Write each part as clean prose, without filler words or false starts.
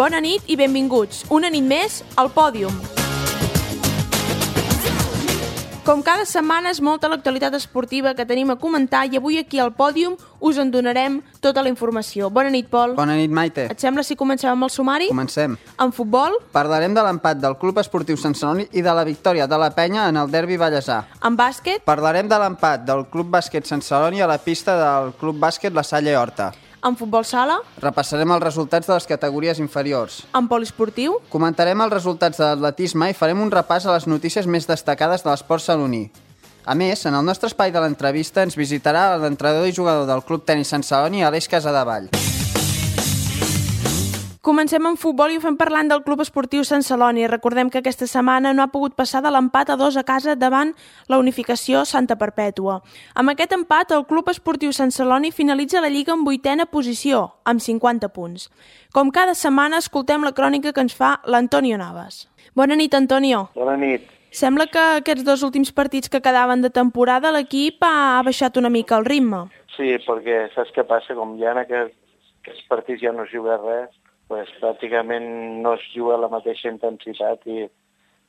Bona nit i benvinguts, una nit més al Pòdium. Com cada setmana és molta l'actualitat esportiva que tenim a comentar i avui aquí al Pòdium us en donarem tota la informació. Bona nit, Pol. Bona nit, Maite. Et sembla si comencem amb el sumari? Comencem. En futbol? Parlarem de l'empat del Club Esportiu Sant Celoni i de la victòria de la Penya en el derbi vallesà. En bàsquet? Parlarem de l'empat del Club Bàsquet Sant Celoni a la pista del Club Bàsquet La Salle Horta. En futbol sala? Repassarem els resultats de les categories inferiors. En poliesportiu? Comentarem els resultats de l'atletisme i farem un repàs a les notícies més destacades de l'esport saloní. A més, en el nostre espai de l'entrevista ens visitarà l'entrenador i jugador del Club Tenis Sant Celoni, Aleix Casadevall. Comencem amb futbol i ho fem parlant del Club Esportiu Sant Celoni. Recordem que aquesta setmana no ha pogut passar de l'empat a 2 a casa davant la unificació Santa Perpètua. Amb aquest empat, el Club Esportiu Sant Celoni finalitza la Lliga en 8a posició, amb 50 punts. Com cada setmana, escoltem la crònica que ens fa l'Antonio Navas. Bona nit, Antonio. Bona nit. Sembla que aquests 2 últims partits que quedaven de temporada l'equip ha baixat una mica el ritme. Sí, perquè saps què passa? Com ja en aquests partits ja no es juga res, pues, pràcticament no es juga a la mateixa intensitat i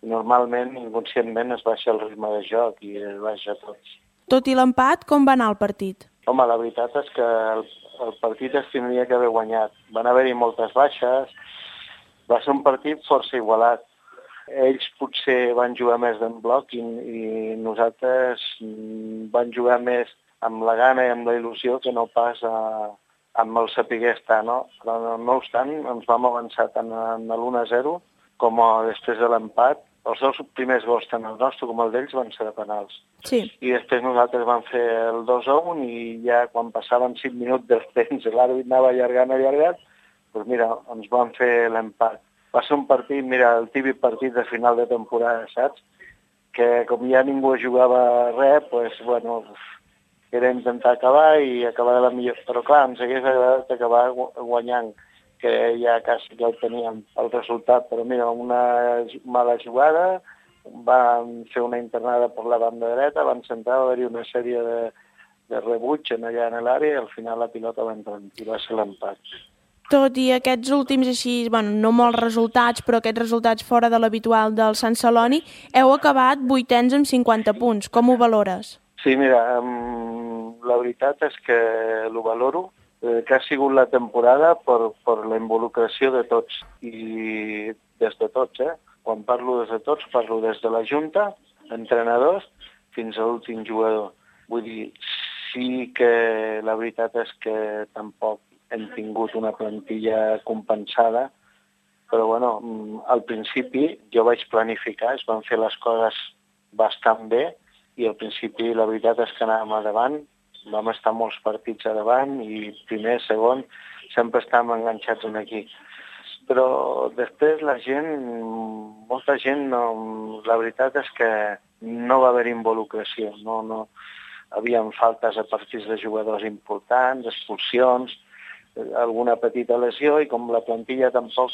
normalment, inconscientment, es baixa el ritme de joc i es baixa tot. Tot i l'empat, com va anar el partit? Home, la veritat és que el partit es tindria que haver guanyat. Van haver-hi moltes baixes, va ser un partit força igualat. Ells potser van jugar més d'en bloc i nosaltres van jugar més amb la gana i amb la il·lusió que no pas amb el saber estar, no? Però no obstant, ens vam avançar tant en l'1-0 com després de l'empat. Els 2 primers gols, tant el nostre com el d'ells, van ser de penals. Sí. I després nosaltres vam fer el 2-1 i ja quan passaven 5 minuts del temps i l'àrbit anava allargant, doncs mira, ens van fer l'empat. Va ser un partit, mira, el típic partit de final de temporada, saps? Que com ja ningú jugava res, doncs, bueno, era intentar acabar i acabar de la millor. Però clar, ens hagués agradat acabar guanyant, que ja quasi ja ho teníem el resultat. Però mira, una mala jugada, van fer una internada per la banda dreta, van centrar, va haver-hi una sèrie de rebuig allà en l'àrea i al final la pilota va entrar i va ser l'empat. Tot i aquests últims així, bueno, no molts resultats, però aquests resultats fora de l'habitual del Sant Celoni, heu acabat 8ens amb 50 punts. Com ho valores? Sí, mira, la veritat és que ho valoro, que ha sigut la temporada per la involucració de tots, i des de tots, Quan parlo des de tots, parlo des de la Junta, entrenadors, fins a l'últim jugador. Vull dir, sí que la veritat és que tampoc hem tingut una plantilla compensada, però bueno, al principi jo vaig planificar, es van fer les coses bastant bé, i al principi la veritat és que anàvem a davant, vam estar molts partits a davant i primer, segon, sempre estàvem enganxats aquí. Però després la gent, molta gent, la veritat és que no va haver involucració, no havia faltes a partits de jugadors importants, expulsions, alguna petita lesió, i com la plantilla tampoc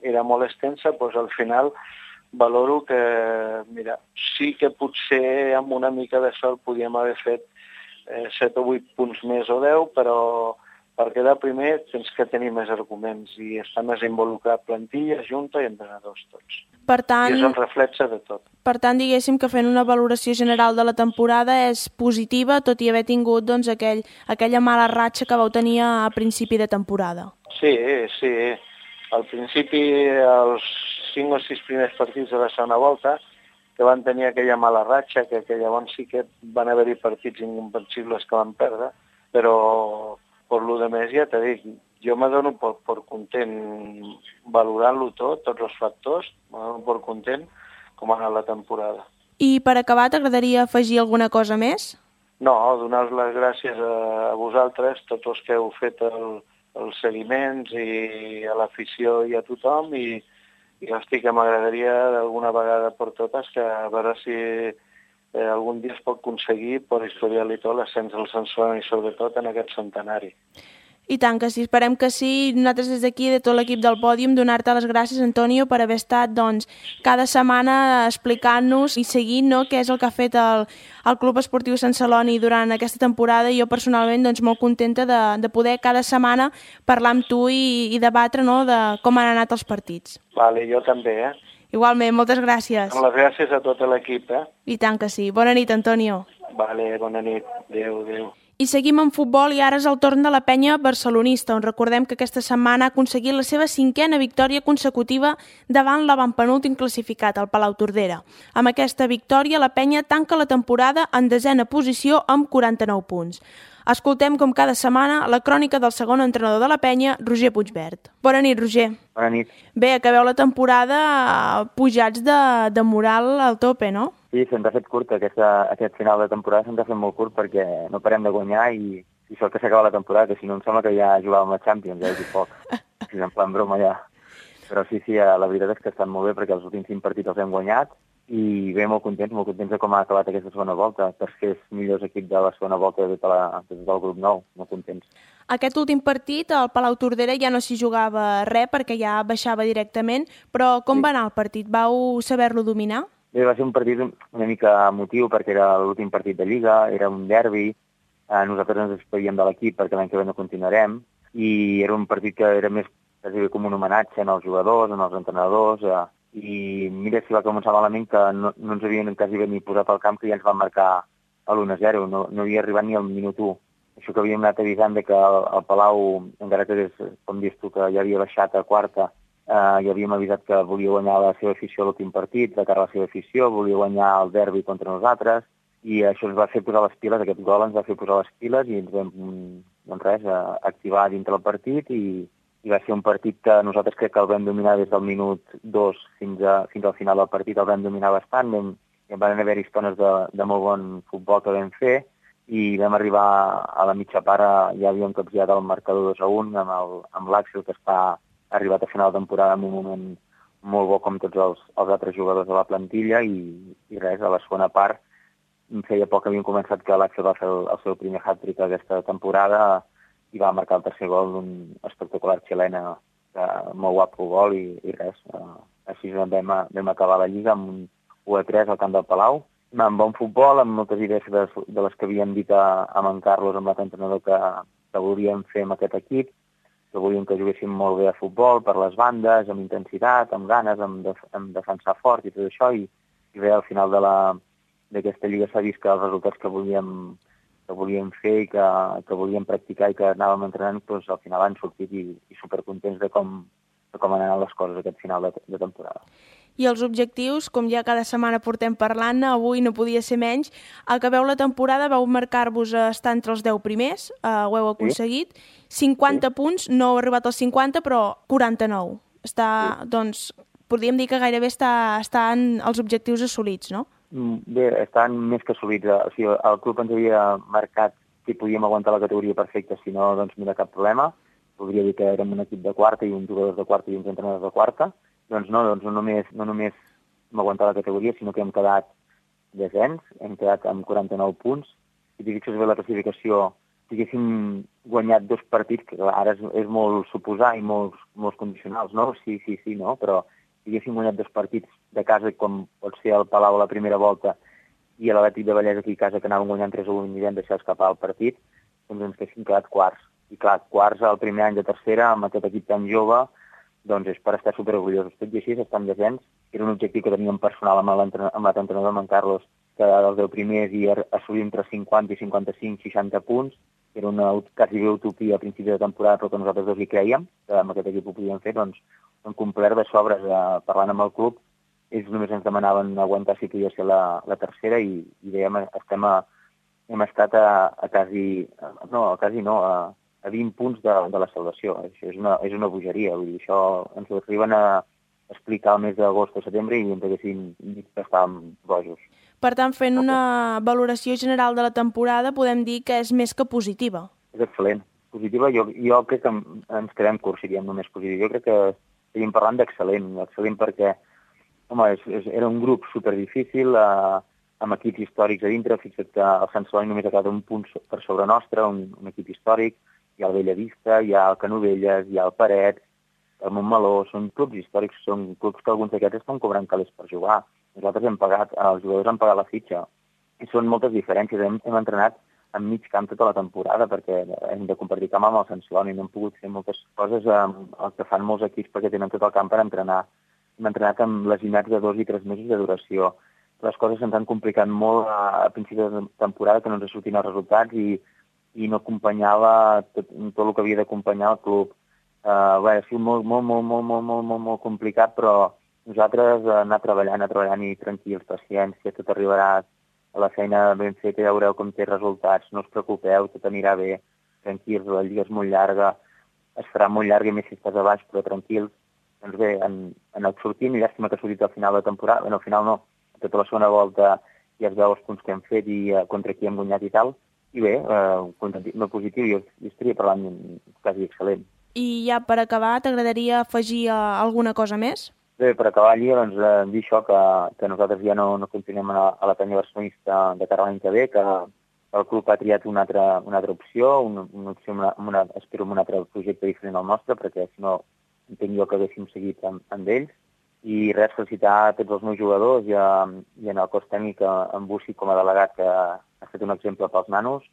era molt extensa, doncs al final valoro que, mira, sí que potser amb una mica de sort podíem haver fet 7 o 8 punts més o 10, però per quedar primer tens que tenir més arguments i està més involucrat plantilla, junta i entrenadors tots. Per tant, i és el reflexe de tot. Per tant, diguéssim que fent una valoració general de la temporada és positiva, tot i haver tingut doncs, aquella mala ratxa que vau tenir a principi de temporada. Sí. Al principi, els 5 o 6 primers partits de la segona volta, que van tenir aquella mala ratxa, que llavors sí que van haver-hi partits incomprensibles que van perdre, però per lo de més ja t'he dit, jo me dono per content valorant-lo tot, tots els factors, me dono per content com ha anat la temporada. I per acabar, t'agradaria afegir alguna cosa més? No, donar les gràcies a vosaltres, tots els que heu fet els seguiments i a l'afició i a tothom, i hosti, que m'agradaria d'alguna vegada per totes que a veure si algun dia es pot aconseguir per historial i tot l'ascens del Sant Celoni, sobretot en aquest centenari. I tant que sí, esperem que sí. Nosaltres des d'aquí, de tot l'equip del Pòdium, donar-te les gràcies, Antonio, per haver estat cada setmana explicant-nos i seguint què és el que ha fet el Club Esportiu Sant Celoni durant aquesta temporada. I jo personalment molt contenta de poder cada setmana parlar amb tu i debatre de com han anat els partits. Vale, jo també, Igualment, moltes gràcies. Amb les gràcies a tot l'equip, I tant que sí. Bona nit, Antonio. Vale, bona nit. Adéu, adéu. I seguim amb futbol i ara és el torn de la penya barcelonista, on recordem que aquesta setmana ha aconseguit la seva 5a victòria consecutiva davant l'avantpenúltim classificat, el Palau Tordera. Amb aquesta victòria, la penya tanca la temporada en 10a posició amb 49 punts. Escoltem, com cada setmana, la crònica del segon entrenador de la penya, Roger Puigvert. Bona nit, Roger. Bona nit. Bé, acabeu la temporada pujats de moral al tope, no? Sí, se'ns ha fet curt aquest final de temporada, se'ns ha fet molt curt perquè no parem de guanyar i això que s'acaba la temporada, que si no em sembla que ja jugàvem a Champions, i poc. Si en plan broma ja. Però sí, la veritat és que estan molt bé perquè els últims 5 partits els hem guanyat i bé, molt contents de com ha acabat aquesta segona volta. Tercers millors equips de la segona volta de tot el grup nou, molt contents. Aquest últim partit, al Palau Tordera, ja no s'hi jugava res perquè ja baixava directament, però com va anar el partit? Vau saber-lo dominar? Bé, va ser un partit una mica emotiu perquè era l'últim partit de Lliga, era un derbi, nosaltres ens despedíem de l'equip perquè l'any que ve no continuarem i era un partit que era més quasi com un homenatge als jugadors, als entrenadors i mira si va començar malament que no ens havien quasi ni posat al camp que ja ens van marcar l'1-0, no havia arribat ni al minut 1. Això que havíem anat avisant que el Palau, encara que com dius tu, que ja havia baixat a quarta, ja havíem avisat que volia guanyar la seva afició a l'últim partit, de cara a la seva afició, volia guanyar el derbi contra nosaltres, i això ens va fer posar les piles, aquest gol ens va fer posar les piles i ens vam, activar dintre el partit i va ser un partit que nosaltres crec que el vam dominar des del minut 2 fins al final del partit, el vam dominar bastant, van haver estones de molt bon futbol que vam fer i vam arribar a la mitja part, ja havíem capgirat el marcador 2-1 amb l'Àxel, que ha arribat a final de temporada en un moment molt bo com tots els altres jugadors de la plantilla i res, a la segona part feia poc que havíem començat que l'Àxel va fer el seu primer hat-trick aquesta temporada i va marcar el tercer gol d'un espectacular xilena, molt guapo gol i res, així vam acabar la Lliga amb un 1-3 al camp del Palau, amb bon futbol, amb moltes idees de les que havíem dit amb en Carlos, amb l'entrenador que volíem fer amb aquest equip, que volíem que juguéssim molt bé a futbol, per les bandes, amb intensitat, amb ganes, amb defensar fort i tot això, i bé, al final d'aquesta lliga s'ha vist que els resultats que volíem fer i que volíem practicar i que anàvem entrenant, doncs al final han sortit i supercontents de com han anat les coses aquest final de temporada. I els objectius, com ja cada setmana portem parlant, avui no podia ser menys. Acabeu la temporada, vau marcar-vos a estar entre els 10 primers, ho heu aconseguit. 50 punts, no heu arribat als 50, però 49. Doncs, podríem dir que gairebé estan els objectius assolits, no? Bé, estan més que assolits. O sigui, el club ens havia marcat que podíem aguantar la categoria perfecta, si no, doncs mira, cap problema. Podria dir que érem un equip de quarta i uns jugadors de quarta i uns entrenadors de quarta. Doncs no només hem aguantat la categoria, sinó que hem quedat desens, hem quedat amb 49 punts. Si t'hi fixes bé la classificació, si haguéssim guanyat 2 partits, que ara és molt suposar i molts condicionals, no? Sí, no, però si haguéssim guanyat 2 partits de casa, com pot ser el Palau a la primera volta i l'Atlètic de Vallès aquí a casa, que anàvem guanyant 3-1 i vam deixar escapar el partit, doncs ens haguéssim quedat quarts. I clar, quarts al primer any de tercera, amb aquest equip tan jove, doncs és per estar superorgullosos. Tot i així, estar en descens, era un objectiu que teníem personal amb l'entrenador, amb en Carlos, que dels 10 primers i assolir entre 50 i 55, 60 punts. Era una quasi bé utopia a principi de temporada, però que nosaltres dos hi creiem, que amb aquest equip ho podíem fer, doncs hem complert de sobres. Parlant amb el club, ells només ens demanaven aguantar si podia ser la tercera i dèiem, hem estat a 20 punts de la salvació. Això és una bogeria. Vull dir, això ens ho arriben a explicar el mes d'agost o setembre i ens haguessin dit que estàvem bojos. Per tant, fent una valoració general de la temporada, podem dir que és més que positiva. És excel·lent. Positiva, jo crec que ens quedem curts, si diem només positiu. Jo crec que estaríem parlant d'excel·lent. Excel·lent perquè, home, era un grup superdifícil, amb equips històrics a dintre. Fixa't que el Sant Celoni només ha quedat un punt per sobre nostre, un equip històric. hi ha el Bellavista, hi ha el Canovelles, hi ha el Parets, el Montmeló, són clubs històrics, són clubs que alguns d'aquests estan cobrant calés per jugar. Nosaltres els jugadors han pagat la fitxa. I són moltes diferències. Hem entrenat en mig camp tota la temporada perquè hem de compartir camp amb el Sant Celoni. No hem pogut fer moltes coses el que fan molts equips perquè tenen tot el camp per entrenar. Hem entrenat amb lesionats de 2 i 3 mesos de duració. Les coses se'ns han complicat molt a principi de temporada, que no ens sortien els resultats i no acompanyava tot el que havia d'acompanyar el club. Ha sigut molt complicat, però nosaltres anar treballant i tranquils, paciència, tot arribarà a la feina ben feta, ja veureu com té resultats, no us preocupeu, tot anirà bé, tranquils, la lliga és molt llarga, es farà molt llarga i més si estàs a baix, però tranquils. Doncs bé, han anat sortint, i llàstima que ha sortit al final de temporada, al final no, tota la segona volta ja es veu els punts que hem fet i contra qui hem guanyat i tal, i bé, molt positiu, jo estaria parlant quasi excel·lent. I ja per acabar, t'agradaria afegir alguna cosa més? Bé, per acabar la lliga, doncs, dir això, que nosaltres ja no continuem a la penya barcelonista de cara a l'any que ve, que el club ha triat una altra opció, una opció espero amb un altre projecte diferent al nostre, perquè si no entenc jo que haguéssim seguit amb ells. I res, felicitar a tots els meus jugadors i en el cos tècnic, en Bussi com a delegat, que ha fet un exemple pels nanos,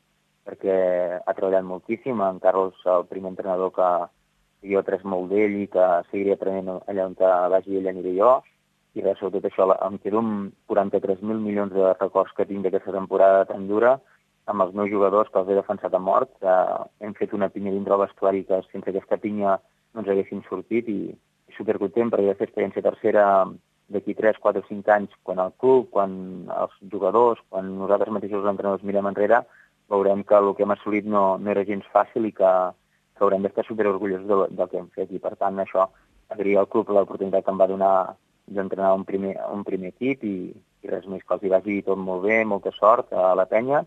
perquè ha treballat moltíssim. En Carlos, el primer entrenador que jo he après molt d'ell i que seguiré aprenent allà on vagi ell aniré jo. I res, sobretot això, em quedo amb 43.000 milions de records que tinc d'aquesta temporada tan dura, amb els meus jugadors que els he defensat a mort. Hem fet una pinya dintre el vestuari que sense aquesta pinya no ens haguéssim sortit i supercontent perquè aquesta experiència tercera d'aquí 3, 4 o 5 anys, quan el club, quan els jugadors, quan nosaltres mateixos els entrenadors mirem enrere, veurem que el que hem assolit no era gens fàcil i que haurem d'estar superorgullosos del que hem fet. I per tant, això, agrair al club l'oportunitat que em va donar d'entrenar un primer equip i res més, que els hi vagi tot molt bé, molta sort a la penya,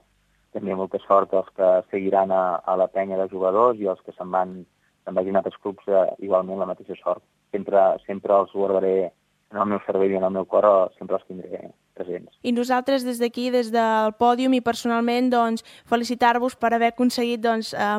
també molta sort als que seguiran a la penya de jugadors i els que se'n vagin a altres clubs, igualment la mateixa sort. Sempre els guardaré en el meu cervell i en el meu cor, sempre els tindré presents. I nosaltres des d'aquí, des del pòdium i personalment, doncs, felicitar-vos per haver aconseguit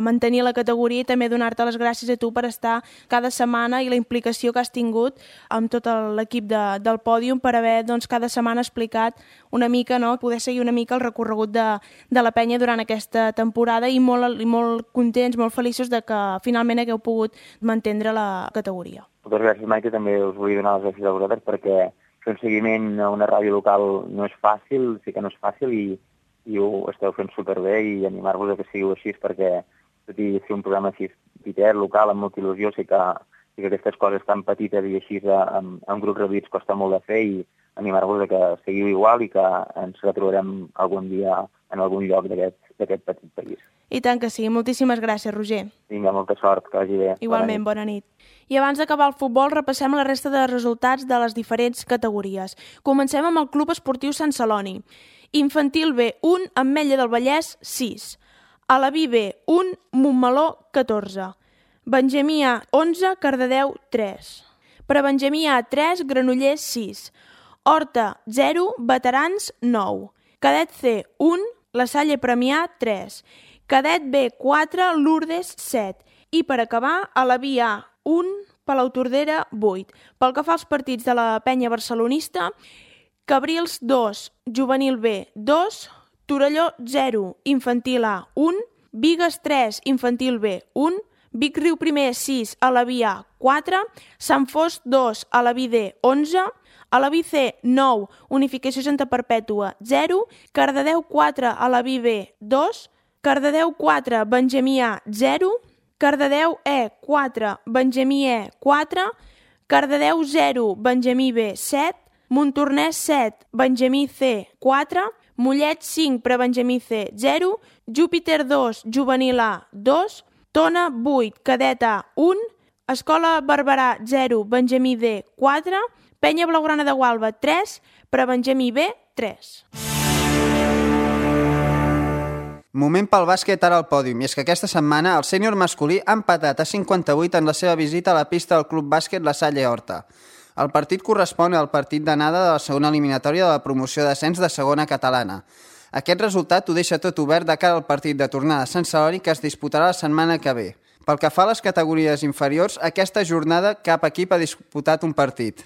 mantenir la categoria i també donar-te les gràcies a tu per estar cada setmana i la implicació que has tingut amb tot l'equip del pòdium per haver cada setmana explicat una mica, poder seguir una mica el recorregut de la penya durant aquesta temporada i molt contents, molt feliços de que finalment hagueu pogut mantenir la categoria. Moltes gràcies, Maite, també us volia donar les gràcies a vosaltres perquè fer un seguiment a una ràdio local no és fàcil, sí que no és fàcil i ho esteu fent superbé i animar-vos a que sigueu així perquè tot i fer un programa així petit, local, amb molta il·lusió, sé que aquestes coses tan petites i així amb grups reduïts costa molt de fer i animar-vos a que seguiu igual i que ens retrobarem algun dia en algun lloc d'aquest petit país. I tant que sí. Moltíssimes gràcies, Roger. Vinga, molta sort, que vagi bé. Igualment, bona nit. I abans d'acabar el futbol, repassem la resta de resultats de les diferents categories. Comencem amb el Club Esportiu Sant Celoni. Infantil B, 1, Ametlla del Vallès, 6. Alaví B, 1, Montmeló, 14. Benjamí A, 11, Cardedeu, 3. Prebenjamí A, 3, Granollers, 6. Horta, 0, Veterans, 9. Cadet C, 1, La Salle Premià, 3. Cadet B, 4, Lourdes, 7. I per acabar, Alaví A, 1, Palautordera, 8. Pel que fa als partits de la penya barcelonista, Cabrils, 2, Juvenil B, 2, Torelló, 0, Infantil A, 1, Bigues, 3, Infantil B, 1, Vic Riu Primer, 6, Alaví A, 4, Sant Fost, 2, Alaví D, 11, Alaví C, 9, Unificació Santa Perpètua, 0, Cardedeu 4, Alaví B, 2, Cardedeu 4, Benjamí A, 0, Cardedeu E, 4, Benjamí E, 4, Cardedeu 0, Benjamí B, 7, Montornès 7, Benjamí C, 4, Mollet 5, Prebenjamí C, 0, Júpiter 2, Juvenil A, 2, Tona 8, Cadet A, 1, Escola Barberà 0, Benjamí D, 4, Penya Blaugrana de Gualba 3, Prebenjamí B, 3. Moment pel bàsquet ara al pòdium, i és que aquesta setmana el sènior masculí ha empatat a 58 en la seva visita a la pista del Club Bàsquet La Salle Horta. El partit correspon al partit d'anada de la segona eliminatòria de la promoció d'ascens de segona catalana. Aquest resultat ho deixa tot obert de cara al partit de tornada a Sant Celoni que es disputarà la setmana que ve. Pel que fa a les categories inferiors, aquesta jornada cap equip ha disputat un partit.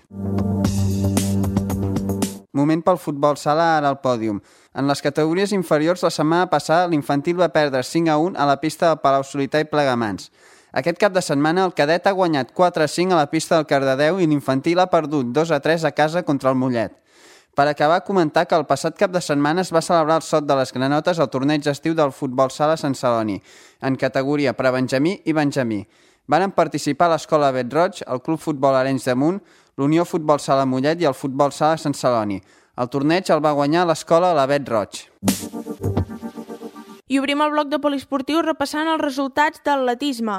Moment pel futbol sala ara al pòdium. En les categories inferiors, la setmana passada l'infantil va perdre 5-1 a la pista del Palau-solità i Plegamans. Aquest cap de setmana el cadet ha guanyat 4-5 a la pista del Cardedeu i l'infantil ha perdut 2-3 a casa contra el Mollet. Per acabar, comentar que el passat cap de setmana es va celebrar el Sot de les Granotes al torneig estiu del futbol sala Sant Celoni, en categoria prebenjamí i benjamí. Van participar l'Escola Bet Roig, el Club Futbol Arenys de Munt, l'Unió Futbol Sala Mollet i el Futbol Sala Sant Celoni. El torneig el va guanyar l'Escola La Bet Roig. I obrim el bloc de poliesportiu repassant els resultats d'atletisme.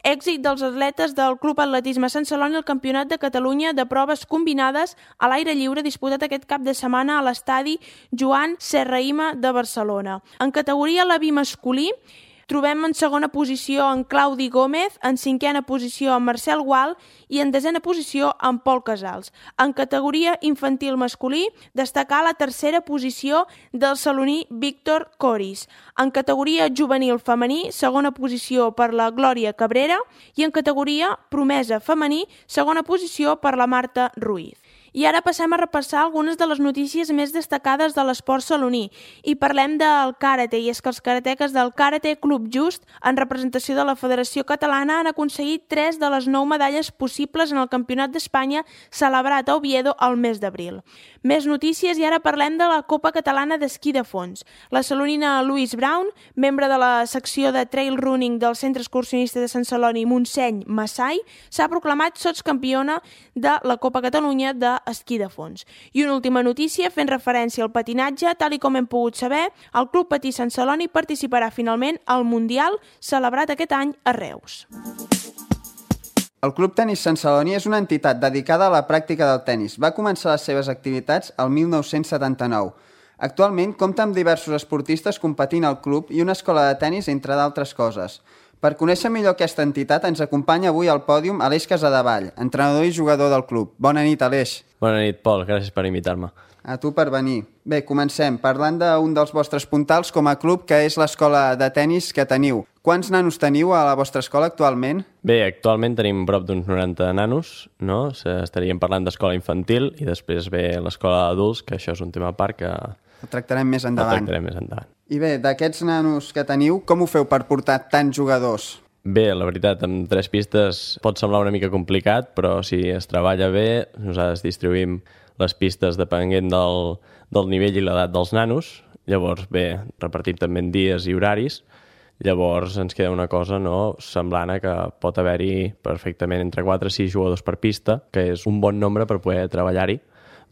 Èxit dels atletes del Club Atletisme Sant Celoni al Campionat de Catalunya de proves combinades a l'aire lliure disputat aquest cap de setmana a l'estadi Joan Serrahima de Barcelona. En categoria Leví masculí, trobem en segona posició en Claudi Gómez, en cinquena posició en Marcel Gual i en desena posició en Pol Casals. En categoria infantil masculí, destacar la tercera posició del saloní Víctor Coris. En categoria juvenil femení, segona posició per la Glòria Cabrera i en categoria promesa femení, segona posició per la Marta Ruiz. I ara passem a repassar algunes de les notícies més destacades de l'esport saloní i parlem del karate, i és que els karateques del Karate Club Just, en representació de la Federació Catalana, han aconseguit 3 de les 9 medalles possibles en el Campionat d'Espanya celebrat a Oviedo al mes d'abril. Més notícies i ara parlem de la Copa Catalana d'Esquí de Fons. La salonina Louise Brown, membre de la secció de trail running del Centre Excursionista de Sant Celoni Montseny Massai, s'ha proclamat sotscampiona de la Copa Catalunya d'Esquí de Fons. I una última notícia, fent referència al patinatge, tal i com hem pogut saber, el Club Patí Sant Celoni participarà finalment al Mundial celebrat aquest any a Reus. El Club Tenis Sant Celoni és una entitat dedicada a la pràctica del tenis. Va començar les seves activitats el 1979. Actualment compta amb diversos esportistes competint al club i una escola de tenis, entre d'altres coses. Per conèixer millor aquesta entitat ens acompanya avui al pòdium Aleix Casadevall, entrenador i jugador del club. Bona nit, Aleix. Bona nit, Pol. Gràcies per invitar-me. A tu per venir. Bé, comencem parlant d'un dels vostres puntals com a club, que és l'escola de tenis que teniu. Quants nanos teniu a la vostra escola actualment? Bé, actualment tenim prop d'uns 90 nanos, no? Estaríem parlant d'escola infantil i després ve l'escola d'adults, que això és un tema a part que... Ho tractarem més endavant. I bé, d'aquests nanos que teniu, com ho feu per portar tants jugadors? Bé, la veritat, amb 3 pistes pot semblar una mica complicat, però si es treballa bé, nosaltres distribuïm les pistes depenent del nivell i l'edat dels nanos. Llavors, bé, repartim també en dies i horaris. Llavors ens queda una cosa semblant a que pot haver-hi perfectament entre 4 i 6 jugadors per pista, que és un bon nombre per poder treballar-hi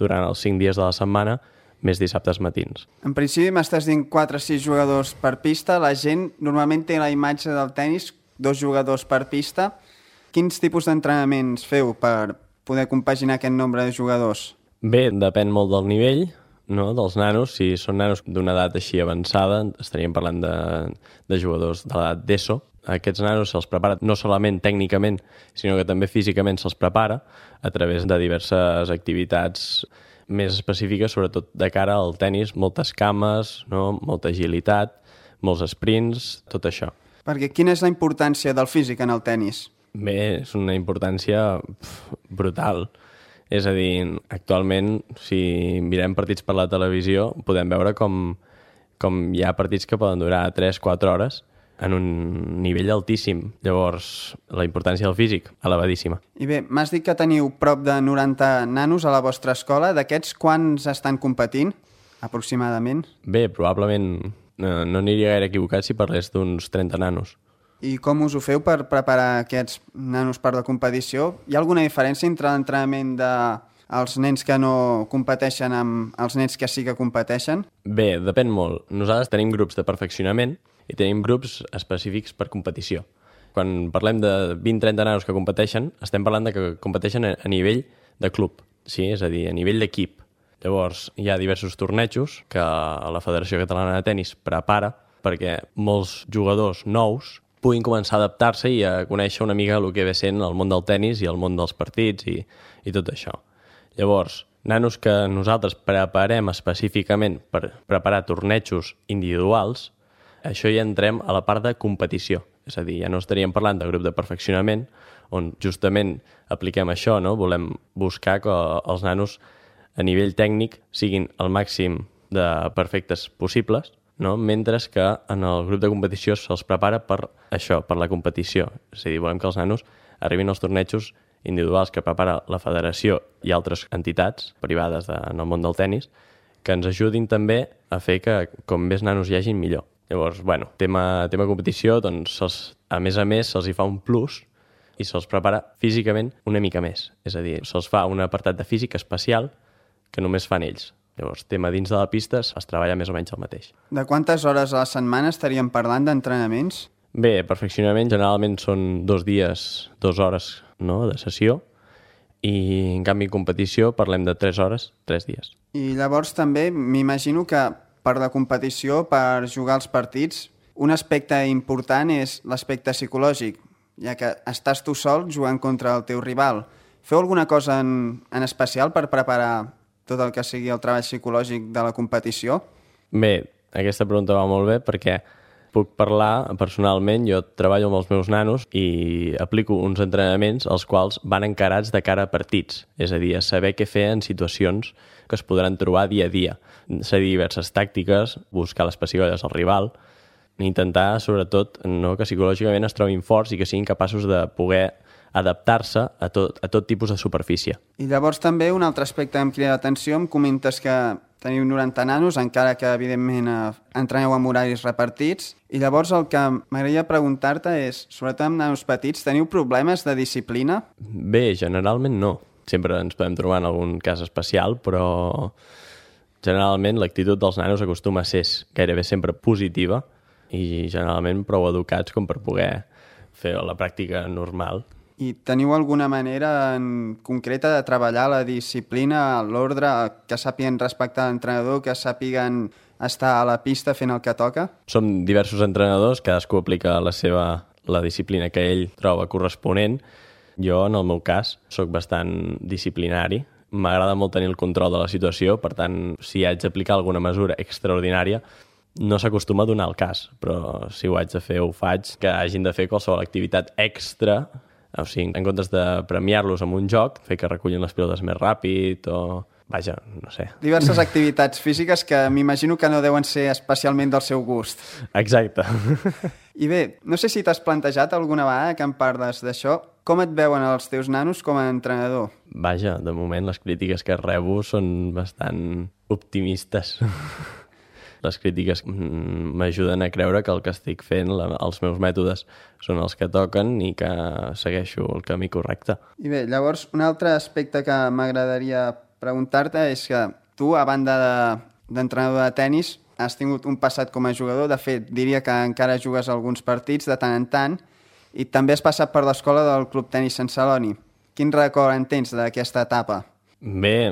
durant els 5 dies de la setmana, més dissabtes matins. En principi m'estàs dient 4 o 6 jugadors per pista. La gent normalment té la imatge del tenis, 2 jugadors per pista. Quins tipus d'entrenaments feu per poder compaginar aquest nombre de jugadors? Bé, depèn molt del nivell, dels nanos. Si són nanos d'una edat així avançada, estaríem parlant de jugadors de l'edat d'ESO. Aquests nanos se'ls prepara no solament tècnicament, sinó que també físicament se'ls prepara a través de diverses activitats més específiques, sobretot de cara al tenis, moltes cames, molta agilitat, molts sprints, tot això. Perquè quina és la importància del físic en el tenis? Bé, és una importància brutal. És a dir, actualment, si mirem partits per la televisió, podem veure com hi ha partits que poden durar 3-4 hores en un nivell altíssim. Llavors, la importància del físic, elevadíssima. I bé, m'has dit que teniu prop de 90 nanos a la vostra escola. D'aquests, quants estan competint, aproximadament? Bé, probablement no aniria gaire equivocat si parlés d'uns 30 nanos. I com us ho feu per preparar aquests nanos per la competició? Hi ha alguna diferència entre l'entrenament dels nens que no competeixen amb els nens que sí que competeixen? Bé, depèn molt. Nosaltres tenim grups de perfeccionament i tenim grups específics per competició. Quan parlem de 20-30 nanos que competeixen, estem parlant de que competeixen a nivell de club, sí? És a dir, a nivell d'equip. Llavors, hi ha diversos tornejos que la Federació Catalana de Tenis prepara perquè molts jugadors nous puguin començar a adaptar-se i a conèixer una mica el que ve sent el món del tenis i el món dels partits i tot això. Llavors, nanos que nosaltres preparem específicament per preparar tornejos individuals, això ja entrem a la part de competició. És a dir, ja no estaríem parlant de grup de perfeccionament, on justament apliquem això, no? Volem buscar que els nanos a nivell tècnic siguin el màxim de perfectes possibles, no? Mentre que en el grup de competició se'ls prepara per això, per la competició. És a dir, volem que els nanos arribin als tornejos individuals que prepara la federació i altres entitats privades en el món del tennis, que ens ajudin també a fer que com més nanos hi hagin, millor. Llavors, bueno, tema competició, doncs, a més se'ls hi fa un plus i se'ls prepara físicament una mica més. És a dir, se'ls fa un apartat de físic especial que només fan ells. Llavors, tema dins de la pista es treballa més o menys el mateix. De quantes hores a la setmana estaríem parlant d'entrenaments? Bé, perfeccionament generalment són 2 dies, 2 hores, no?, de sessió, i en canvi en competició parlem de 3 hores, 3 dies. I llavors també m'imagino que per la competició, per jugar els partits, un aspecte important és l'aspecte psicològic, ja que estàs tu sol jugant contra el teu rival. Feu alguna cosa en especial per preparar tot el que sigui el treball psicològic de la competició? Bé, aquesta pregunta va molt bé perquè puc parlar personalment. Jo treballo amb els meus nanos i aplico uns entrenaments els quals van encarats de cara a partits, és a dir, a saber què fer en situacions que es podran trobar dia a dia. Seguir diverses tàctiques, buscar les pessigolles al rival, intentar, sobretot, no, que psicològicament es trobin forts i que siguin capaços de poder adaptar-se a tot tipus de superfície. I llavors també un altre aspecte que em crida l'atenció, em comentes que teniu 90 nanos, encara que evidentment entreneu amb horaris repartits, i llavors el que m'agradaria preguntar-te és, sobretot amb nanos petits, teniu problemes de disciplina? Bé, generalment no. Sempre ens podem trobar en algun cas especial, però generalment l'actitud dels nanos acostuma a ser gairebé sempre positiva i generalment prou educats com per poder fer la pràctica normal. I teniu alguna manera en concreta de treballar la disciplina, l'ordre, que sàpiguen respectar l'entrenador, que sàpiguen estar a la pista fent el que toca? Som diversos entrenadors, cadascú aplica la disciplina que ell troba corresponent. Jo, en el meu cas, sóc bastant disciplinari. M'agrada molt tenir el control de la situació, per tant, si haig d'aplicar alguna mesura extraordinària, no s'acostuma a donar el cas, però si ho haig de fer, ho faig. Que hagin de fer qualsevol activitat extra, o sigui, en comptes de premiar-los amb un joc, fer que recullin les pilotes més ràpid o... Vaja, no sé. Diverses activitats físiques que m'imagino que no deuen ser especialment del seu gust. Exacte. I bé, no sé si t'has plantejat alguna vegada que em parles d'això. Com et veuen els teus nanos com a entrenador? Vaja, de moment les crítiques que rebo són bastant optimistes. Les crítiques m'ajuden a creure que el que estic fent, els meus mètodes, són els que toquen i que segueixo el camí correcte. I bé, llavors, un altre aspecte que m'agradaria preguntar-te és que tu, a banda d'entrenador de tennis, has tingut un passat com a jugador. De fet, diria que encara jugues alguns partits de tant en tant i també has passat per l'escola del Club Tenis Sant Celoni. Quin record en tens d'aquesta etapa? Bé,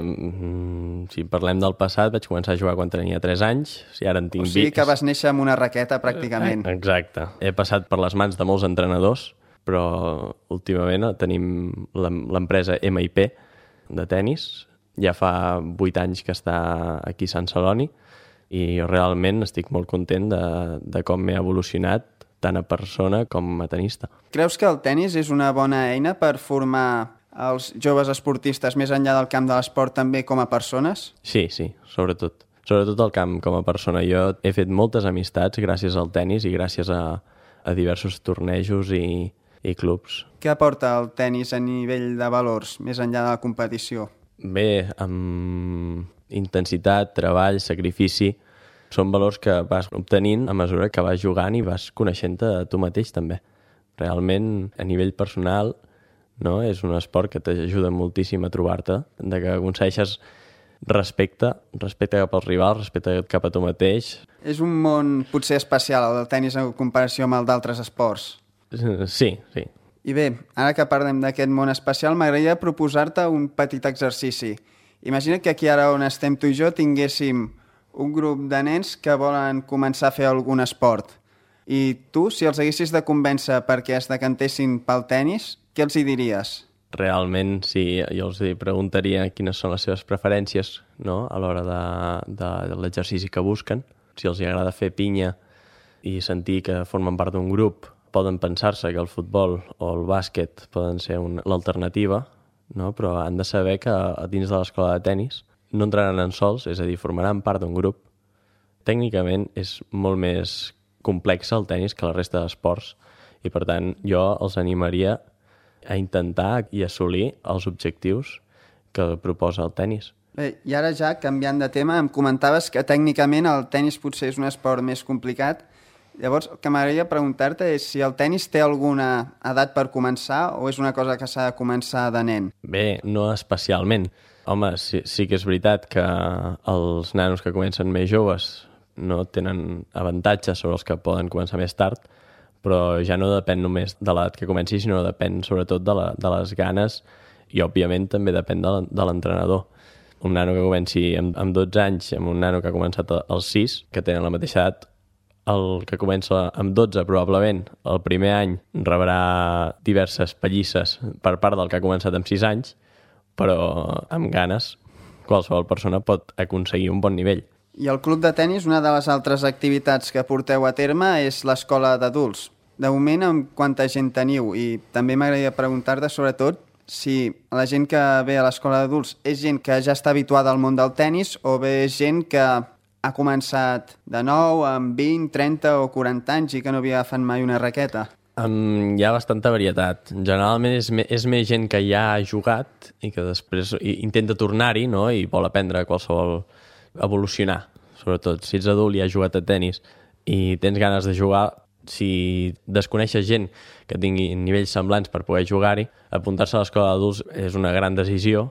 si parlem del passat, vaig començar a jugar quan tenia 3 anys, i ara en tinc 20. O sigui que vas néixer amb una raqueta, pràcticament. Exacte. He passat per les mans de molts entrenadors, però últimament tenim l'empresa MIP de tennis. Ja fa 8 anys que està aquí a Sant Celoni i realment estic molt content de com m'he evolucionat tant a persona com a tenista. Creus que el tennis és una bona eina per formar els joves esportistes més enllà del camp de l'esport també com a persones? Sí, sobretot. Sobretot al camp com a persona. Jo he fet moltes amistats gràcies al tennis i gràcies a diversos tornejos i clubs. Què aporta el tennis a nivell de valors més enllà de la competició? Bé, amb intensitat, treball, sacrifici, són valors que vas obtenint a mesura que vas jugant i vas coneixent-te a tu mateix també. Realment, a nivell personal, no? És un esport que t'ajuda moltíssim a trobar-te, de que aconsegueixes respecte cap al rival, respecte cap a tu mateix. És un món potser especial, el del tennis, en comparació amb el d'altres esports. Sí. I bé, ara que parlem d'aquest món especial, m'agradaria proposar-te un petit exercici. Imagina que aquí ara on estem tu i jo tinguéssim un grup de nens que volen començar a fer algun esport. I tu, si els haguessis de convèncer perquè es decantessin pel tennis, què els hi diries? realment, sí, jo els preguntaria quines són les seves preferències, no?, a l'hora de l'exercici que busquen. Si els agrada fer pinya i sentir que formen part d'un grup, poden pensar-se que el futbol o el bàsquet poden ser l'alternativa, no? Però han de saber que dins de l'escola de tennis no entraran en sols, és a dir, formaran part d'un grup. Tècnicament és molt més complex el tennis que la resta d'esports i, per tant, jo els animaria a intentar i assolir els objectius que proposa el tennis. Bé, i ara ja, canviant de tema, em comentaves que tècnicament el tennis potser és un esport més complicat. Llavors, el que m'agradaria preguntar-te és si el tennis té alguna edat per començar o és una cosa que s'ha de començar de nen? Bé, no especialment. Home, sí que és veritat que els nanos que comencen més joves no tenen avantatges sobre els que poden començar més tard, però ja no depèn només de l'edat que comenci, sinó depèn sobretot de les ganes i, òbviament, també depèn de l'entrenador. Un nano que comenci amb 12 anys amb un nano que ha començat als 6, que tenen la mateixa edat, el que comença amb 12 probablement el primer any rebrà diverses pallisses per part del que ha començat amb 6 anys, però amb ganes qualsevol persona pot aconseguir un bon nivell. I el club de tennis, una de les altres activitats que porteu a terme és l'escola d'adults. De moment, amb quanta gent teniu? I també m'agradaria preguntar-te, sobretot, si la gent que ve a l'escola d'adults és gent que ja està habituada al món del tennis o bé és gent que ha començat de nou amb 20, 30 o 40 anys i que no havia agafat mai una raqueta. Hi ha bastanta varietat. Generalment és més gent que ja ha jugat i que després intenta tornar-hi, no?, i vol aprendre qualsevol... evolucionar, sobretot. Si ets adult i has jugat a tennis i tens ganes de jugar, si desconeixes gent que tingui nivells semblants per poder jugar-hi, apuntar-se a l'escola d'adults és una gran decisió,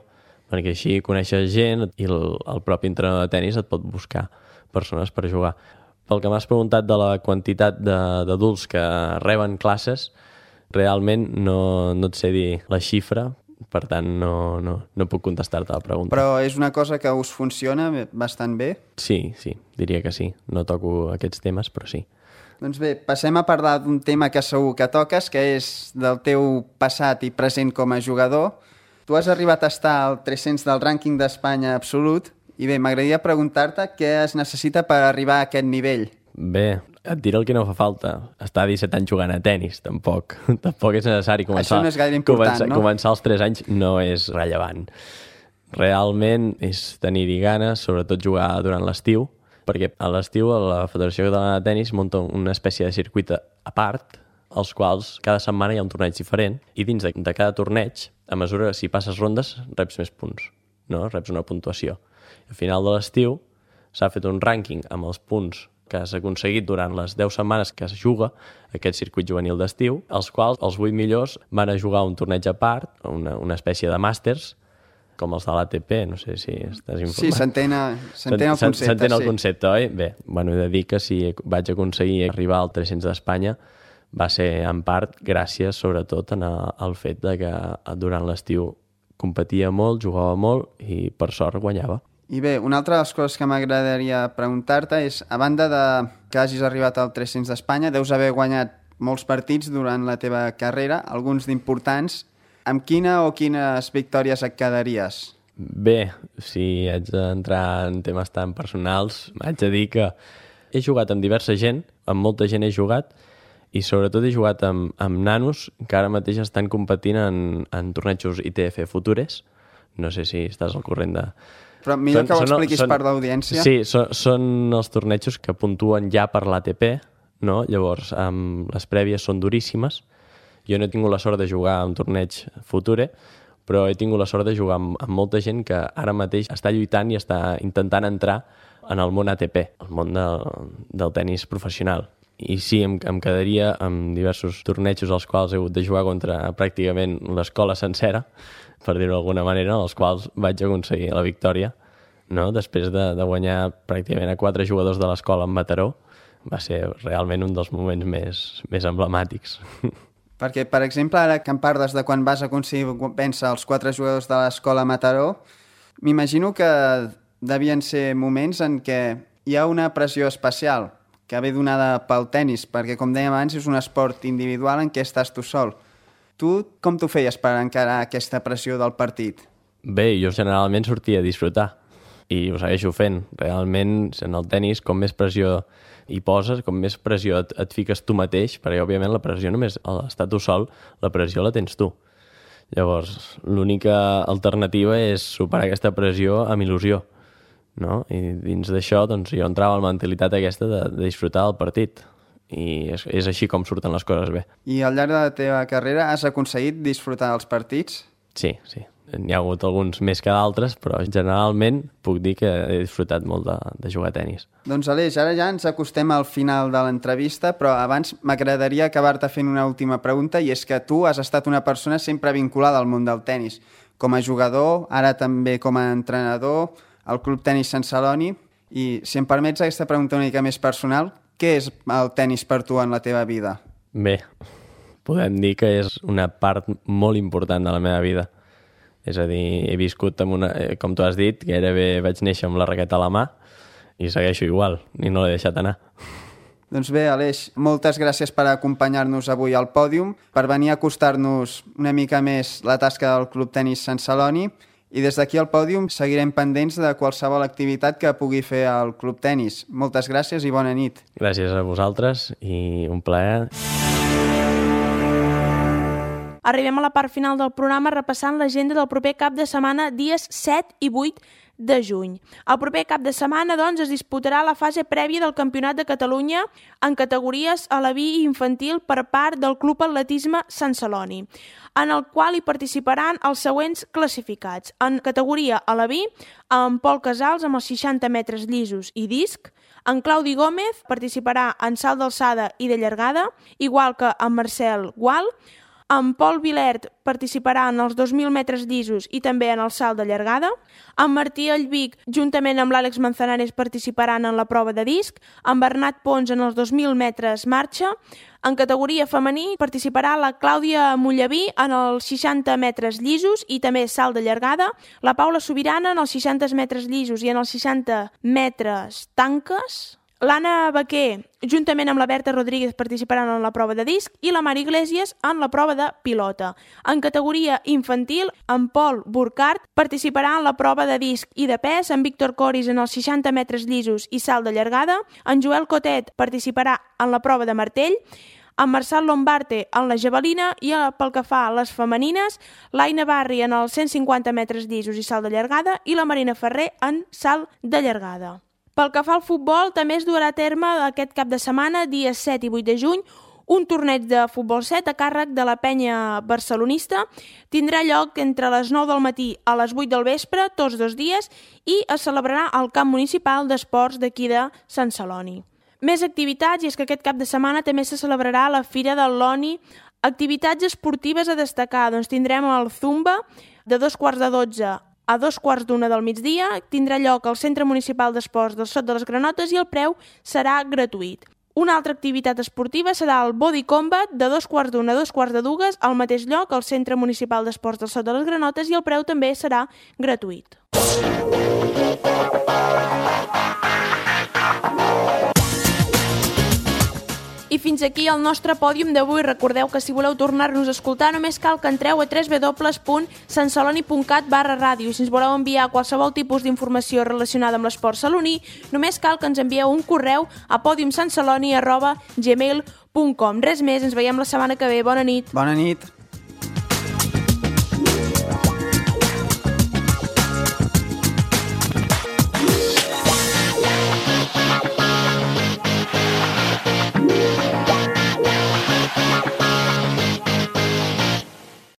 perquè així coneixes gent i el propi entrenador de tennis et pot buscar persones per jugar. Pel que m'has preguntat de la quantitat d'adults que reben classes, realment no et sé dir la xifra, per tant no puc contestar-te la pregunta. Però és una cosa que us funciona bastant bé? Sí, diria que sí. No toco aquests temes, però sí. Doncs bé, passem a parlar d'un tema que segur que toques, que és del teu passat i present com a jugador. Tu has arribat a estar al 300 del rànquing d'Espanya absolut i bé, m'agradaria preguntar-te què es necessita per arribar a aquest nivell. Bé, et diré el que no fa falta. Estar 17 anys jugant a tennis, tampoc. Tampoc és necessari començar... Això no és gaire important, no? Començar als 3 anys no és rellevant. Realment és tenir-hi ganes, sobretot jugar durant l'estiu, perquè a l'estiu la Federació Catalana de Tenis munta una espècie de circuit a part, als quals cada setmana hi ha un torneig diferent, i dins de cada torneig, a mesura que si passes rondes, reps més punts, no? Reps una puntuació. Al final de l'estiu s'ha fet un rànquing amb els punts que has aconseguit durant les 10 setmanes que es juga aquest circuit juvenil d'estiu, els quals els 8 millors van a jugar un torneig a part, una espècie de màsters, com els de l'ATP, no sé si estàs informat. Sí, s'entén el concepte. S'entén el concepte, oi? Bé, he de dir que si vaig aconseguir arribar al 300 d'Espanya va ser en part gràcies sobretot al fet de que durant l'estiu competia molt, jugava molt i per sort guanyava. I bé, una altra de les coses que m'agradaria preguntar-te és, a banda de que hagis arribat al 300 d'Espanya, deus haver guanyat molts partits durant la teva carrera, alguns d'importants. Amb quina o quines victòries et quedaries? Bé, si haig d'entrar en temes tan personals, haig de dir que he jugat amb diversa gent, amb molta gent he jugat, i sobretot he jugat amb nanos que ara mateix estan competint en tornejos ITF Futures. No sé si estàs al corrent de... Però millor que ho expliquis per l'audiència. Sí, són els tornejos que puntuen ja per l'ATP, no? Llavors, les prèvies són duríssimes. Jo no he tingut la sort de jugar a un torneig Future, però he tingut la sort de jugar amb molta gent que ara mateix està lluitant i està intentant entrar en el món ATP, el món del tenis professional. I sí, em quedaria amb diversos tornejos als quals he hagut de jugar contra pràcticament l'escola sencera, per dir-ho d'alguna manera, als quals vaig aconseguir la victòria, no? Després de guanyar pràcticament a 4 jugadors de l'escola en Mataró. Va ser realment un dels moments més emblemàtics. Perquè, per exemple, ara que em parles de quan vas aconseguir vèncer els 4 jugadors de l'escola Mataró, m'imagino que devien ser moments en què hi ha una pressió especial que ve donada pel tennis, perquè, com dèiem abans, és un esport individual en què estàs tu sol. Tu com t'ho feies per encarar aquesta pressió del partit? Bé, jo generalment sortia a disfrutar i ho segueixo fent. Realment, en el tenis, com més pressió hi poses, com més pressió et fiques tu mateix, perquè òbviament la pressió només, a l'estar tu sol, la pressió la tens tu. Llavors, l'única alternativa és superar aquesta pressió amb il·lusió, no? I dins d'això, doncs, jo entrava a la mentalitat aquesta de disfrutar del partit. I és així com surten les coses bé. I al llarg de la teva carrera has aconseguit disfrutar dels partits? Sí. N'hi ha hagut alguns més que d'altres, però generalment puc dir que he disfrutat molt de jugar a tenis. Doncs Aleix, ara ja ens acostem al final de l'entrevista, però abans m'agradaria acabar-te fent una última pregunta, i és que tu has estat una persona sempre vinculada al món del tenis. Com a jugador, ara també com a entrenador, al Club Tenis Sant Celoni, i si em permets aquesta pregunta una mica més personal, què és el tenis per tu en la teva vida? Bé, podem dir que és una part molt important de la meva vida. És a dir, he viscut amb una, com tu has dit, gairebé vaig néixer amb la raqueta a la mà i segueixo igual, i no l'he deixat anar. Doncs bé, Aleix, moltes gràcies per acompanyar-nos avui al pòdium, per venir a acostar-nos una mica més la tasca del Club Tenis Sant Celoni, i des d'aquí al pòdium seguirem pendents de qualsevol activitat que pugui fer el Club Tenis. Moltes gràcies i bona nit. Gràcies a vosaltres i un plaer. Arribem a la part final del programa repassant l'agenda del proper cap de setmana, dies 7 i 8 de juny. El proper cap de setmana, doncs, es disputarà la fase prèvia del Campionat de Catalunya en categories aleví i infantil per part del Club Atletisme Sant Celoni, en el qual hi participaran els següents classificats. En categoria aleví, en Pol Casals amb els 60 metres llisos i disc, en Claudi Gómez participarà en salt d'alçada i de llargada, igual que en Marcel Gual. En Pol Vilert participarà en els 2.000 metres llisos i també en el salt de llargada. En Martí Allvic, juntament amb l'Àlex Manzanares, participaran en la prova de disc. En Bernat Pons en els 2.000 metres marxa. En categoria femení participarà la Clàudia Mollaví en els 60 metres llisos i també salt de llargada. La Paula Sobirana en els 60 metres llisos i en els 60 metres tanques. L'Anna Baquer, juntament amb la Berta Rodríguez, participaran en la prova de disc i la Mari Iglesias en la prova de pilota. En categoria infantil, en Pol Burkhardt participarà en la prova de disc i de pes, en Víctor Coris en els 60 metres llisos i salt de llargada, en Joel Cotet participarà en la prova de martell, en Marçal Lombarte en la javelina i pel que fa a les femenines, l'Aina Barri en els 150 metres llisos i salt de llargada i la Marina Ferrer en salt de llargada. Pel que fa al futbol, també es durà a terme aquest cap de setmana, dies 7 i 8 de juny, un torneig de futbol 7 a càrrec de la penya barcelonista. Tindrà lloc entre les 9 del matí a les 8 del vespre, tots dos dies, i es celebrarà al camp municipal d'esports d'aquí de Sant Celoni. Més activitats, i és que aquest cap de setmana també se celebrarà la Fira del Loni. Activitats esportives a destacar, doncs tindrem el Zumba de 2:45 a 2:45 del migdia, tindrà lloc al Centre Municipal d'Esports del Sot de les Granotes i el preu serà gratuït. Una altra activitat esportiva serà el Body Combat de 2:15 a 2:45 al mateix lloc, al Centre Municipal d'Esports del Sot de les Granotes, i el preu també serà gratuït. I fins aquí el nostre pòdium d'avui. Recordeu que si voleu tornar-nos a escoltar només cal que entreu a www.santceloni.cat/ràdio. I si ens voleu enviar qualsevol tipus d'informació relacionada amb l'esport saloní, només cal que ens envieu un correu a podiumsantceloni@gmail.com. Res més, ens veiem la setmana que ve. Bona nit. Bona nit.